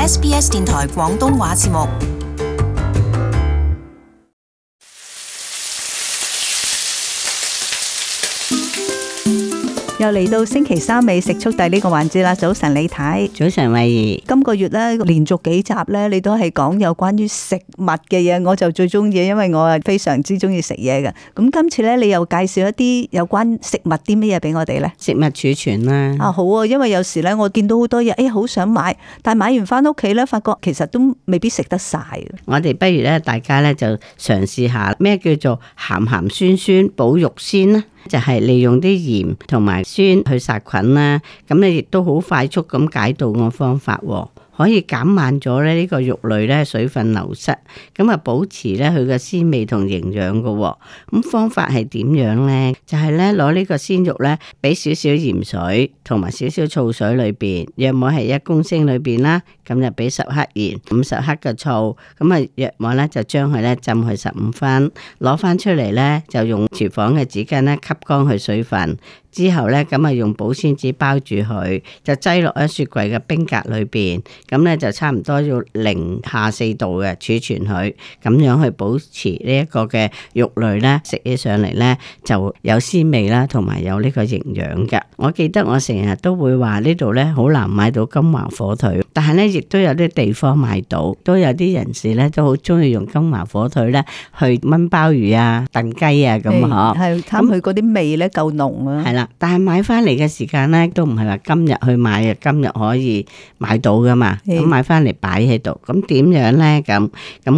SBS 電台廣東話節目。又嚟到星期三美食速遞呢個環節啦。早晨李太，早晨慧怡。今個月咧連續幾集咧，你都係講有關於食物嘅嘢，我就最中意，因為我係非常之中意食嘢嘅。咁今次咧，你又介紹一啲有關食物啲乜嘢俾我哋咧？食物儲存啦。啊好啊，因為有時咧我見到好多嘢，好想買，但係買完翻屋企咧，發覺其實都未必食得晒。我哋不如咧，大家咧就嘗試下咩叫做鹹鹹酸酸保肉鮮啦。就係利用啲鹽同埋酸去殺菌啦，咁你亦都好快速咁解凍嘅方法，可以減慢咗咧呢個肉類咧水分流失，咁啊保持咧佢嘅鮮味同營養嘅。咁方法係點樣咧？就係咧攞呢個鮮肉咧，俾少少鹽水同埋少少醋水裏邊，約莫係1公升裏邊啦，咁就俾10克鹽、50克嘅醋，咁啊約莫咧就將佢咧浸去15分，攞翻出嚟咧就用廚房嘅紙巾咧吸乾佢水分。之後咧，咁啊用保鮮紙包住佢，就擠落喺雪櫃嘅冰格裏邊。咁咧就差唔多要0°C度嘅儲存佢，咁樣去保持呢一個嘅肉類咧，食起上嚟咧就有鮮味啦，同埋有呢個營養嘅。我記得我成日都會話呢度咧好難買到金華火腿，但係咧亦都有啲地方買到，都有啲人士咧都好中意用金華火腿咧去炆鮑魚啊、燉雞啊咁嗬。係貪佢嗰啲味咧夠濃啊。係啦。但係買翻嚟嘅時間咧，都唔係話今日去買啊，今日可以買到噶嘛。咁買翻嚟擺喺度，咁點樣咧？咁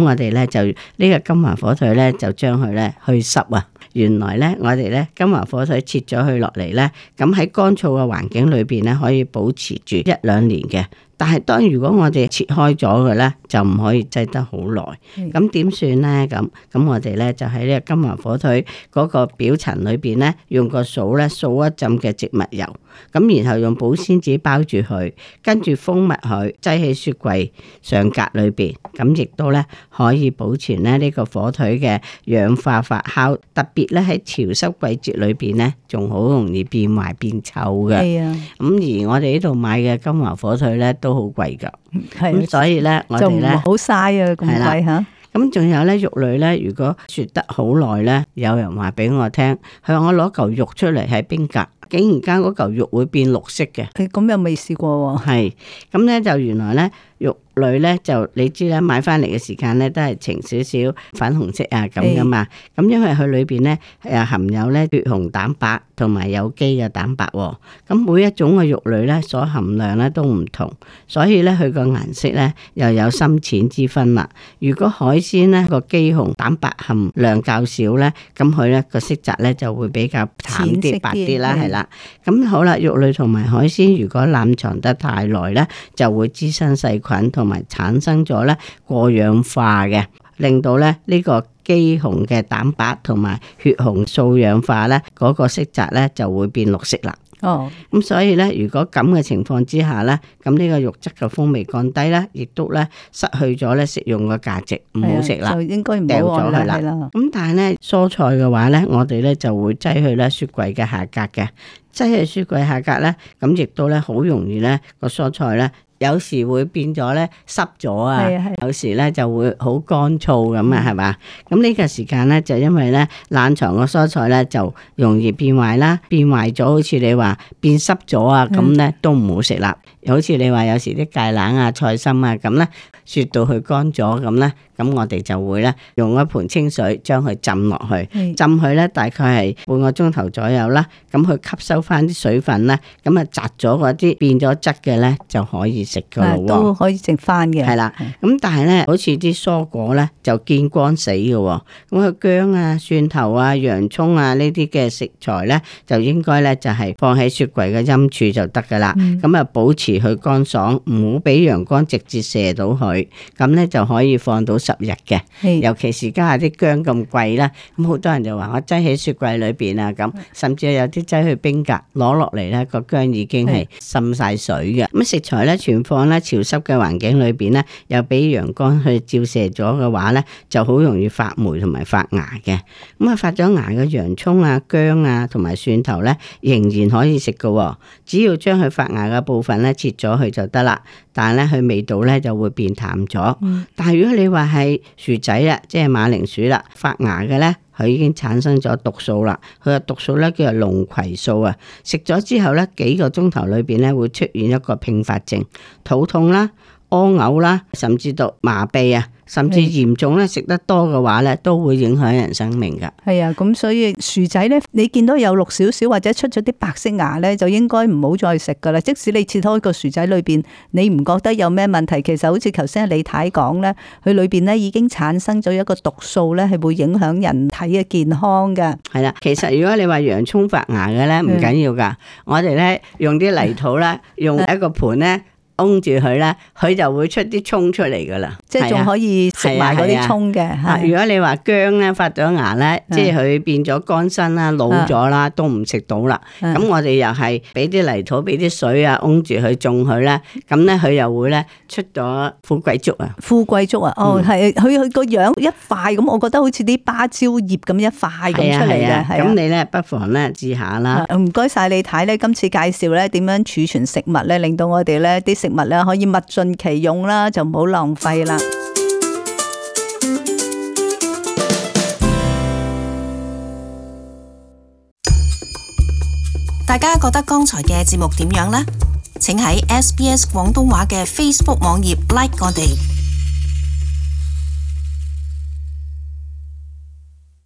我哋咧就呢個金華火腿咧，就將佢咧去濕啊。原來咧，我哋咧金華火腿切咗佢落嚟咧，咁喺乾燥嘅環境裏邊咧，可以保持住1-2年嘅。但係當如果我哋切開咗嘅咧，就唔可以擠得好耐。咁點算咧？咁我哋咧就喺呢個金華火腿嗰個表層裏邊咧，用個掃咧掃一浸嘅植物油，咁然後用保鮮紙包住佢，跟住封密佢，擠喺雪櫃上格裏邊。咁亦都咧可以保存咧呢個火腿嘅氧化發酵，特別咧喺潮濕季節裏邊咧，仲好容易變壞變臭嘅。係啊。咁而我哋呢度買嘅金華火腿咧都好貴噶，咁所以咧我哋咧好嘥啊，咁貴吓。咁仲有咧肉類咧，如果雪得好耐咧，有人話俾我聽，佢話我攞嚿肉出嚟喺冰格，竟然間嗰嚿肉會變綠色嘅。咁又未試過喎。係，咁咧就原來咧肉類咧就你知啦，買翻嚟嘅時間咧都係呈少少粉紅色啊咁噶嘛。咁因為佢裏邊咧含有咧血紅蛋白同埋有機嘅蛋白喎。咁每一種嘅肉類咧所含量咧都唔同，所以咧佢個顏色咧又有深淺之分啦。如果海鮮咧個肌紅蛋白含量較少咧，咁佢咧個色澤咧就會比較淡啲白啲啦，係啦。咁好啦，肉類同埋海鮮如果冷藏得太耐咧，就會滋生細菌同埋產生咗咧過氧化嘅，令到咧呢個肌紅嘅蛋白同埋血紅素氧化咧嗰個色澤咧就會變綠色啦。咁所以咧，如果咁嘅情況之下咧，咁呢個肉質嘅風味降低啦，亦都咧失去咗咧食用嘅價值，唔好食啦，就應該唔掉好咗佢啦。咁但係咧蔬菜嘅話咧，我哋咧就會擠去咧雪櫃嘅下格嘅，擠喺雪櫃下格咧，咁亦都咧好容易咧個蔬菜咧。有時會變咗咧濕咗啊，有時咧就會好乾燥咁啊，係嘛？咁呢個時間咧就因為咧冷藏個蔬菜咧就容易變壞啦，變壞咗好似你話變濕咗啊，咁咧都唔好食啦。好似你話有時啲芥蘭啊、菜心啊咁咧雪到佢乾咗咁咧，咁我哋就會咧用一盆清水將佢浸落去，浸佢咧大概係半個鐘頭左右啦，咁佢吸收翻啲水分咧，咁啊摘咗嗰啲變咗質嘅咧就可以食噶咯喎，都可以食翻嘅。係啦，咁但係咧好似啲蔬果咧就見光死嘅喎，咁佢薑啊、蒜頭啊、洋葱啊呢啲嘅食材咧就應該咧就係放喺雪櫃嘅陰處就得噶啦，咁啊保持佢乾爽，唔好俾陽光直接射到佢，咁咧就可以放到10日嘅。尤其是家下啲薑咁貴啦，咁好多人就話我擠喺雪櫃裏邊啊，咁甚至有啲擠去冰格攞落嚟咧，個薑已經係滲晒水嘅。咁食材咧存放咧潮濕嘅環境裏邊咧，又俾陽光去照射咗嘅話咧，就好容易發霉同埋發芽嘅。咁啊發咗芽嘅洋葱啊、薑啊同埋蒜頭咧，仍然可以食嘅，只要將佢發芽嘅部分咧切咗佢就得啦。但係咧佢味道咧就會變淡咗。但係如果你話係薯仔啦，即係馬鈴薯啦，發芽嘅咧，佢已經產生咗毒素啦。佢嘅毒素咧叫做龍葵素啊。食咗之後咧，幾個鐘頭裏邊咧會出現一個併發症，肚痛啦、屙嘔啦，甚至到麻痹啊。甚至嚴重咧，食得多嘅話咧，都會影響人生命噶。係啊，咁所以薯仔咧，你見到有綠少少或者出咗啲白色芽咧，就應該唔好再食噶啦。即使你切開個薯仔裏邊，你唔覺得有咩問題，其實好似頭先李太講咧，佢裏邊咧已經產生咗一個毒素咧，係會影響人體嘅健康噶。係啦，其實如果你話洋蔥發芽嘅咧，唔緊要噶。我哋咧用啲泥土啦，用一個盤咧。擁住佢咧，佢就會出啲蔥出嚟噶啦，即係仲可以食埋嗰啲蔥嘅。如果你話薑咧發咗芽咧，即係佢變咗乾身啦、老咗啦，都唔食到啦。咁我哋又係俾啲泥土、俾啲水啊，擁住佢種佢咧，咁咧佢又會咧出咗富貴竹啊！富貴竹啊，哦係，佢個樣一塊咁，我覺得好似啲芭蕉葉咁一塊咁出嚟嘅。咁你咧不妨咧試下啦。唔該晒李太咧，今次介紹咧點樣儲存食物咧，令到我哋咧啲食物咧可以物盡其用啦，就唔好浪費啦。大家覺得剛才嘅節目點樣呢？請喺SBS 廣東話嘅 Facebook 網頁 like 我哋。